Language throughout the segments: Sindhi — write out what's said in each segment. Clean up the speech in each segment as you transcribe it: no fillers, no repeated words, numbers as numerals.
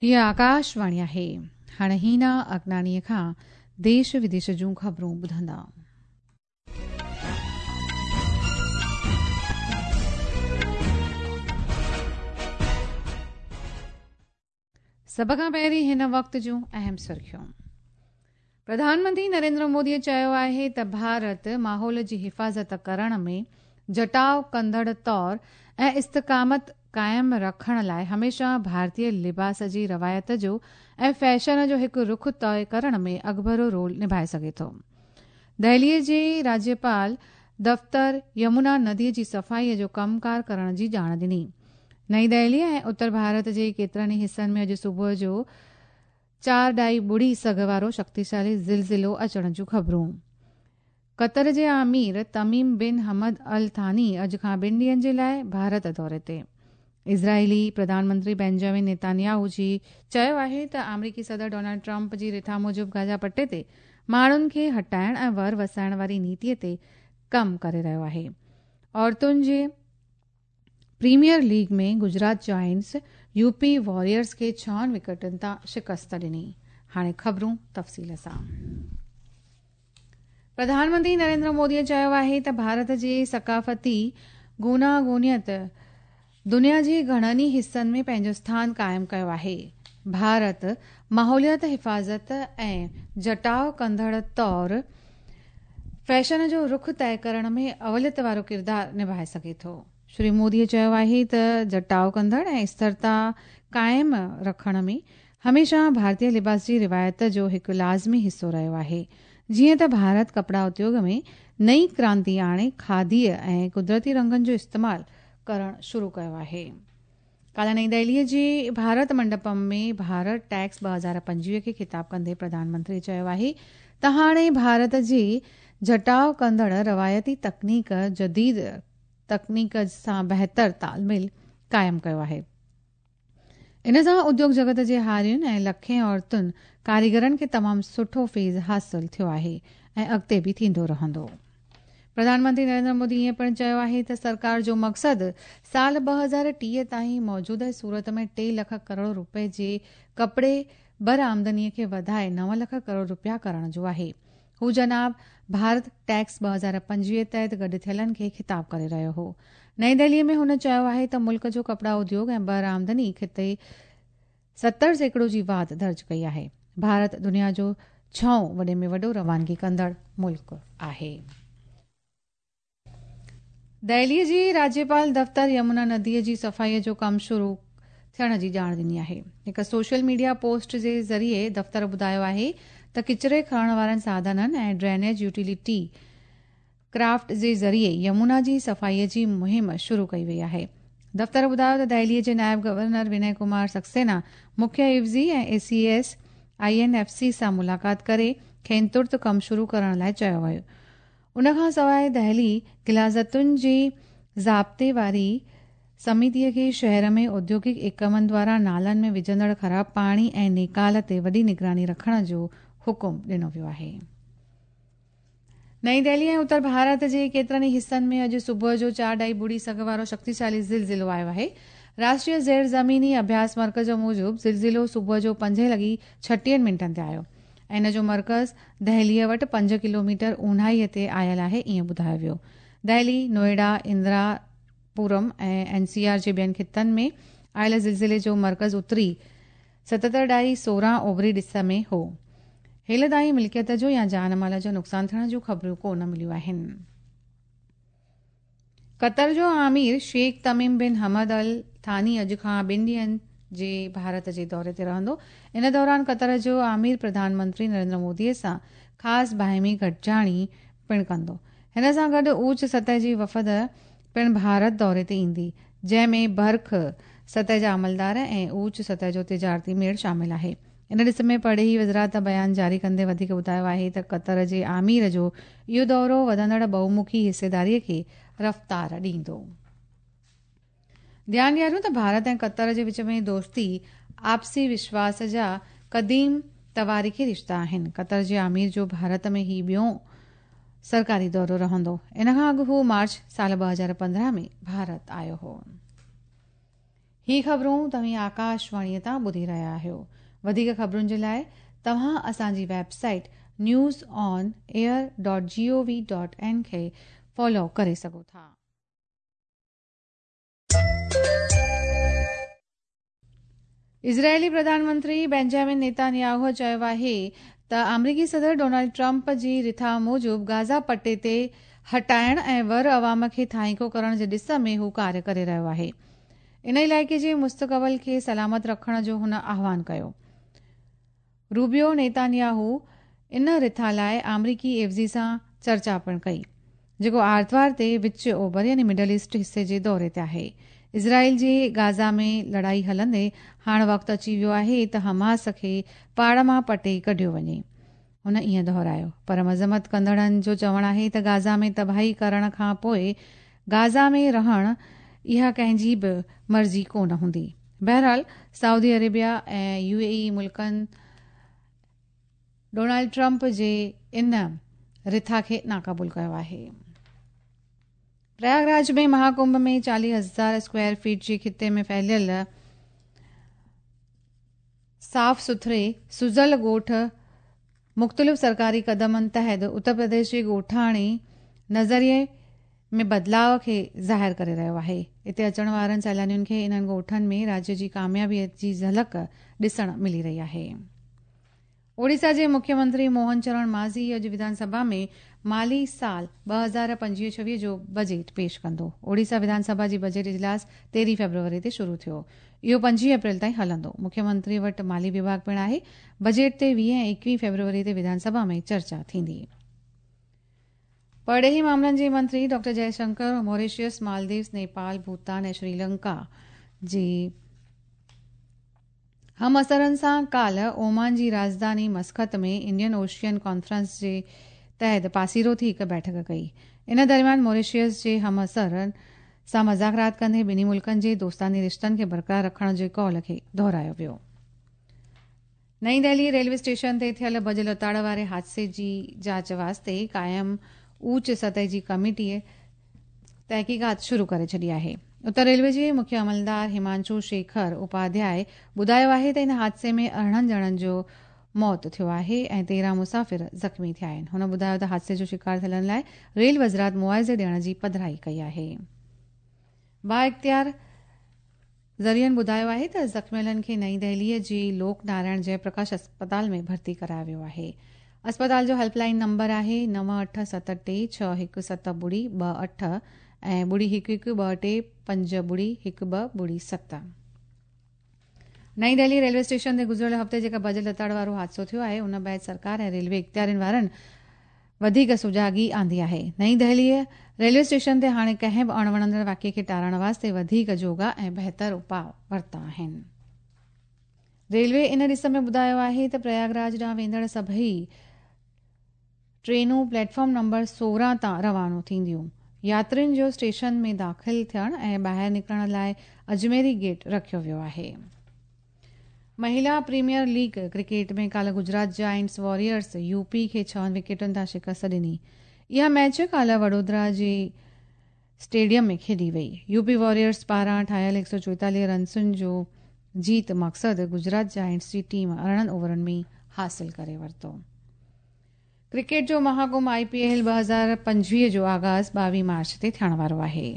هيء آڪاشواڻي آهي. هاڻ هينا اگناڻيء کان ديش وديش جون خبرون ٻڌندا. سڀ کان پهرين هن وقت جون اهم سرخيون. پرڌان منتري نريندر مودي چيو آهي ته ڀارت ماحول جي حفاظت ڪرڻ ۾ جٽاء ڪندڙ طور ۽ استقامت قائم رکڻ لاء هميشه ڀارتي لباس جي روايت جو ۽ فيشن جو هڪ رخ طئي ڪرڻ ۾ اڳڀرو رول نڀائي سگهي ٿو. دهلي جي راجيپال دفتر يمنا ندي جي صفائي جو ڪم ڪار ڪرڻ جي ڄاڻ ڏني. نئين دهلي ۽ اتر ڀارت جي ڪيترن ئي حصن ۾ اڄ صبح جو چار ڏهائي ٻڙي سگهه وارو شڪتيشالي زلزلو اچڻ جون خبرون. قطر جي امير تميم بن حمد الثاني اڄ کان ٻن ڏينهن جي لاء ڀارت دوري تي. اسرائيلي پرڌان منتري بينجامن نيتانياهو جي چيو آهي ته آمريڪي صدر ڊونلڊ ٽرمپ جي رٿا موجب غزه پٽي تي ماڻهن کي هٽائڻ ۽ ور وسائڻ واري نيتي تي ڪم ڪري رهيو آهي. عورتن جي premier league ۾ Gujarat giants U P warriors کي ڇهن وڪيٽن تان شڪست ڏني. هاڻي خبرون تفصيل سان. پرڌان منتري نريندر مودي چيو آهي ته ڀارت جي ثقافتي گوناگونيت دنيا جي گهڻن ئي حصن ۾ پنهنجو اسٿان قائم ڪيو آهي. ڀارت ماحوليات حفاظت ۽ جٽاء ڪندڙ طور فيشن جو رخ طئي ڪرڻ ۾ اوليت وارو ڪردار نڀائي سگهي ٿو. شري مودي چيو آهي ته جٽاء ڪندڙ ۽ استرتا قائم رکڻ ۾ هميشه ڀارتي لباس جي روايت جو هڪ لازمي حصو رهيو آهي. جيئن ته ڀارت ڪپڙا اديوگ ۾ نئين ڪرانتي آڻي کاديء ۽ قدرتي رنگن جو استعمال ڪرڻ شروع ڪيو آهي. ڪالهه نئين دهليء جي ڀارت منڊپم ۾ ڀارت ٽيڪس 2025 کي خطاب ڪندي پرڌان منتري چيو آهي ته هاڻي ڀارت جي جٽاء ڪندڙ روايتي تڪنيڪ جديد تڪنيڪ سان بهتر تال ميل قائم ڪيو آهي. ان سان اديوگ جڳت جي هارين ۽ لکين عورتن ڪاريگرن کي تمام سٺو فيض حاصل ٿيو آهي ۽ اڳتي به ٿيندو رهندو. پرڌان منتري نريندر مودي ائين پڻ چيو آهي ته سرڪار جو مقصد سال 2030 تائين موجوده صورت ۾ ٽي لک ڪروڙ روپئي جي ڪپڙي برآمدني کي وڌائي نو لک ڪروڙ روپيا ڪرڻ جو آهي. هو جناب ڀارت ٽيڪس 2025 تحت گڏ ٿيلن کي خطاب ڪري رهيو هو. نئين دهلي ۾ هن چيو آهي ته ملڪ جو ڪپڙا اديوگ ۽ برآمدني خطي 70% جي واڌ درج ڪئي آهي. ڀارت دنيا جو ڇهون وڏي ۾ وڏو روانگي ڪندڙ ملڪ آهي. دهلي جي راجيپال دفتر يمنا ندي جي صفائي جو ڪم شروع ٿيڻ جي ڄاڻ ڏني آهي. هڪ سوشل ميڊيا پوسٽ جي ذريعي دفتر ٻڌايو آهي ته ڪچري کڻڻ وارن ساڌنن ۽ ڊرينيج يوٽيلٽي ڪرافٽ جي ذريعي يمنا جي صفائي جي مهم شروع ڪئي وئي آهي. دفتر ٻڌايو ته دهلي جي نائب گورنر ونئي ڪمار سڪسينا مکيه عيوضي ۽ اي C S I N F C سان ملاقات ڪري کين ترت ڪم شروع ڪرڻ لاء چيو ويو. ان کان سواء دهلي غلاظتن جي ضابطي واري سميتي کي شهر ۾ اوديوگڪ ايڪمن دواران نالن ۾ وجهندڙ خراب پاڻي ۽ نيڪال تي وڏي نگراني رکڻ جو حڪم ڏنو ويو آهي. نئين دهلي ۽ اتر ڀارت جي ڪيترن ئي حصن ۾ اڄ صبح جو چار ڏهائي ٻڙي سگهه وارو شڪتيشالي زلزلو آيو آهي. راشٽريه زير زميني اڀياس مرڪز موجب زلزلو صبح جو پنجين لڳي ڇٽيهن منٽن تي آيو ۽ ان جو مرڪز دهليء وٽ پنج ڪلوميٽر اونهائيء تي آيل آهي ائين ٻڌايو ويو. Delhi, Noida, Indira Puram ۽ N C R جي ٻين خطن ۾ آيل زلزلي جو مرڪز اتري ستتر ڏهائي 16 اوڀري ڏس ۾ هو. هيل تائين ملڪيت جو يا جان مال جو نقصان ٿيڻ جون خبرون ڪو نه مليون آهن. قطر جو امير شيخ تميم بن حمد ال ثاني اڄ کان ٻن ڏينهن جي ڀارت جي دوري تي رهندو. ان دوران قطر جو امير پرڌان منتري نريندر مودي سان خاص باهمي گڏجاڻي پڻ ڪندو. هن سان گڏ اوچ سطح جي وفد پڻ ڀارت دوري تي ايندي، جنهن ۾ برک سطح جا عملدار ۽ اوچ سطح جو تجارتي ميڙ شامل آهي. ان ڏس ۾ پرڏيهي وزارت بيان جاري ڪندي وڌيڪ ٻڌايو آهي ته قطر جي امير جو اهو دورو وڌندڙ ٻهومکي حصيداري کي رفتار ڏيندو. ڌيان ڏياريون ته ڀارت ۽ قطر جي وچ ۾ دوستي آپسي وشواس جا قديم تواريخي رشتا آهن. قطر جي امير جو ڀارت ۾ هي ٻيون سرڪاري دورو رهندو. ان کان اڳ هو مارچ سال 2015 ۾ ڀارت آيو هو. هي خبرون توهين آڪاشواڻيء تان ٻڌي رهيا آهيو. وڌيڪ خبرن جي لاء توهان اسان جي website news on air dot G O V dot in کي فالو ڪري سگهو ٿا. اسرائيلي پرڌان منتري بينجامن نيتانياهو چيو آهي ته آمريڪي صدر ڊونلڊ ٽرمپ جي رٿا موجب غازا پٽي تي هٽائڻ ۽ ور عوام کي ٿانيڪو ڪرڻ جي ڏس ۾ هو ڪاريه ڪري رهيو آهي. ان علائقي جي مستقبل کي سلامت رکڻ جو هن آهوان ڪيو. روبيو نيتانياهو ان رٿا لاء آمريڪي عيوضي سان چرچا پڻ ڪئي، جيڪو آرتوار تي وچ اوڀر يعني مڊل ايسٽ حصي جي دوري تي آهي. اسرائيل جي غازا ۾ لڙائي هلندي هاڻ وقت اچي ويو آهي ته حماس کي پاڙ مان پٽي ڪڍيو وڃي. هن ائين دهرايو. پر مذمت ڪندڙن جو چوڻ آهي ته غازا ۾ تباهي ڪرڻ کان پوء غازا ۾ رهڻ اها ڪنهن جي به مرضي ڪونه هوندي. بهرحال سعودي عربيه ۽ يو اي اي ملڪن ڊونلڊ ٽرمپ جي ان رٿا کي ناقبول ڪيو آهي. پرياگ راج ۾ مها ڪنڀ ۾ 40 هزار اسڪوائر فيٽ جي خطي ۾ ڦهليل صاف سٿري سجل ڳوٺ مختلف سرڪاري قدمن تحت اتر پرديش جي ڳوٺاڻي نظريي ۾ بدلاء کي ظاهر ڪري رهيو آهي. اتي اچڻ وارن سيلانين کي انهن ڳوٺن ۾ راجيه جي ڪاميابي جي جهلڪ ڏسڻ ملي رهي آهي. اوڙيسا جي مکيه منتري موهن چرڻ ماضي اڄ وڌان سڀا ۾ مالي سال 2025 26 جو بجيٽ پيش ڪندو. اوڙيسا وڌان سڀا جي بجيٽ اجلاس 13 فيبروري تي شروع ٿيو. اهو 25 اپريل تائين هلندو. مکيه منتري وٽ مالي وڀاڳ پڻ آهي. بجيٽ تي 20 ۽ 21 فيبروري تي وڌان سڀا ۾ چرچا ٿيندي. پرڏيهي معاملن جي منتري doctor Jaishankar Mauritius, Maldives, Nepal, Bhutan ۽ Sri Lanka جي همعصرن سان ڪالهه اومان جي راڄڌاني مسقط ۾ انڊين اوشين ڪانفرنس جي تحت پاسيرو ٿي هڪ بيٺڪ ڪئي. ان درميان موريشيس جي همعصرن سان مذاڪرات ڪندي ٻنهي ملڪن جي دوستاني رشتن کي برقرار رکڻ جي قول کي دهرايو ويو. نئين دهلي ريلوي اسٽيشن تي ٿيل ڀڄ لتاڙ واري حادثي جي جاچ واسطي قائم اوچ سطح جي ڪميٽي تحقيقات شروع ڪري ڇڏي آهي. اتر ريلوي جي مکيه عملدار همانشو شيکر اپاڌياء ٻڌايو آهي ته ان حادثي ۾ 18 ڄڻن جو موت ٿيو آهي ۽ 13 مسافر زخمي ٿيا آهن. هن ٻڌايو ته حادثي جو شڪار ٿيلن لاء ريل وزرات معاوضي ڏيڻ جي پڌرائي ڪئي آهي. بااختيار ذريعن ٻڌايو آهي ته زخميلن کي نئين دهليء جي لوڪ نارائڻ جئه پرڪاش اسپتال ۾ ڀرتي ڪرايو ويو آهي. اسپتال جو هيلپ لائين نمبر آهي 9 8 7 ٽي 6 1 7 ٻڙي 2 8 ۽ ٻڙي 1 1 2 ٽي 5 ٻڙي 1 2 ٻڙي 7. نئين دهلي ريلوي اسٽيشن تي گذريل هفتي جيڪا ڀڄ لتاڙ وارو حادثو ٿيو آهي ان بعد سرڪار ۽ ريلوي اختيارين وارن وڌيڪ سجاڳي آندي آهي. نئين دهليء ريلوي اسٽيشن تي هاڻي ڪنهن به اڻوڻندڙ واقعي کي ٽارڻ واسطي وڌيڪ جوڳا ۽ بهتر اپاء ورتا آهن. ريلوي ان ڏس ۾ ٻڌايو آهي ته پرياگ راج ڏانهن ويندڙ سڀئي ٽرينون پليٽ فارم نمبر 16 تان روانو ٿينديون. ياترين جو اسٽيشن ۾ داخل ٿيڻ ۽ ٻاهر نڪرڻ لاء اجميري گيٽ رکيو ويو آهي. مهيلا پريميئر ليگ ڪرڪيٽ ۾ ڪالهه Gujarat Giants Warriors U P کي ڇهن وڪيٽن تان شڪست ڏني. اها ميچ ڪالهه وڊودرا جي اسٽيڊيم ۾ کيڏي وئي. يو پي واريئرز پاران ٺاهيل 144 رنسن جو جيت مقصد گجرات جائنٽس جي ٽيم 18 اوورن ۾ حاصل ڪري ورتو. ڪرڪيٽ جو مهاڪنڀ آء پي ايل 2025 جو آغاز 22 مارچ تي ٿيڻ وارو آهي.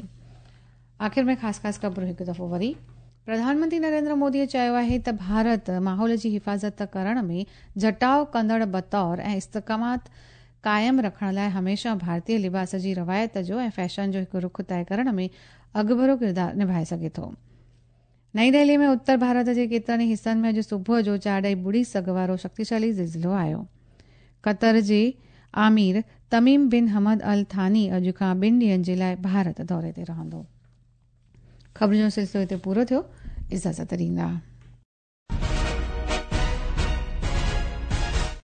آخر ۾ خاص خاص خبرون هڪ دفعو وري. پرڌان منتري نريندر مودي چيو آهي ته ڀارت ماحول جي حفاظت ڪرڻ ۾ جٽاء ڪندڙ بطور ۽ استقامت قائم رکڻ لاء هميشه ڀارتي لباس جي روايت جو ۽ فيشن جو هڪ رخ طئي ڪرڻ ۾ اڳڀرو ڪردار نڀائي سگهي ٿو. نئين دهلي ۾ اتر ڀارت جي ڪيترن ئي حصن ۾ اڄ صبح جو چاڙهي ٻڙي سگهه وارو شڪتيشالي زلزلو آيو. قطر جي آمير تميم بن حمد الثاني اڄ کان ٻن ڏينهن جي لاء ڀارت دوري تي رهندو. خبرن جو سلسلو هتي پورو ٿيو. اجازت ڏيندا.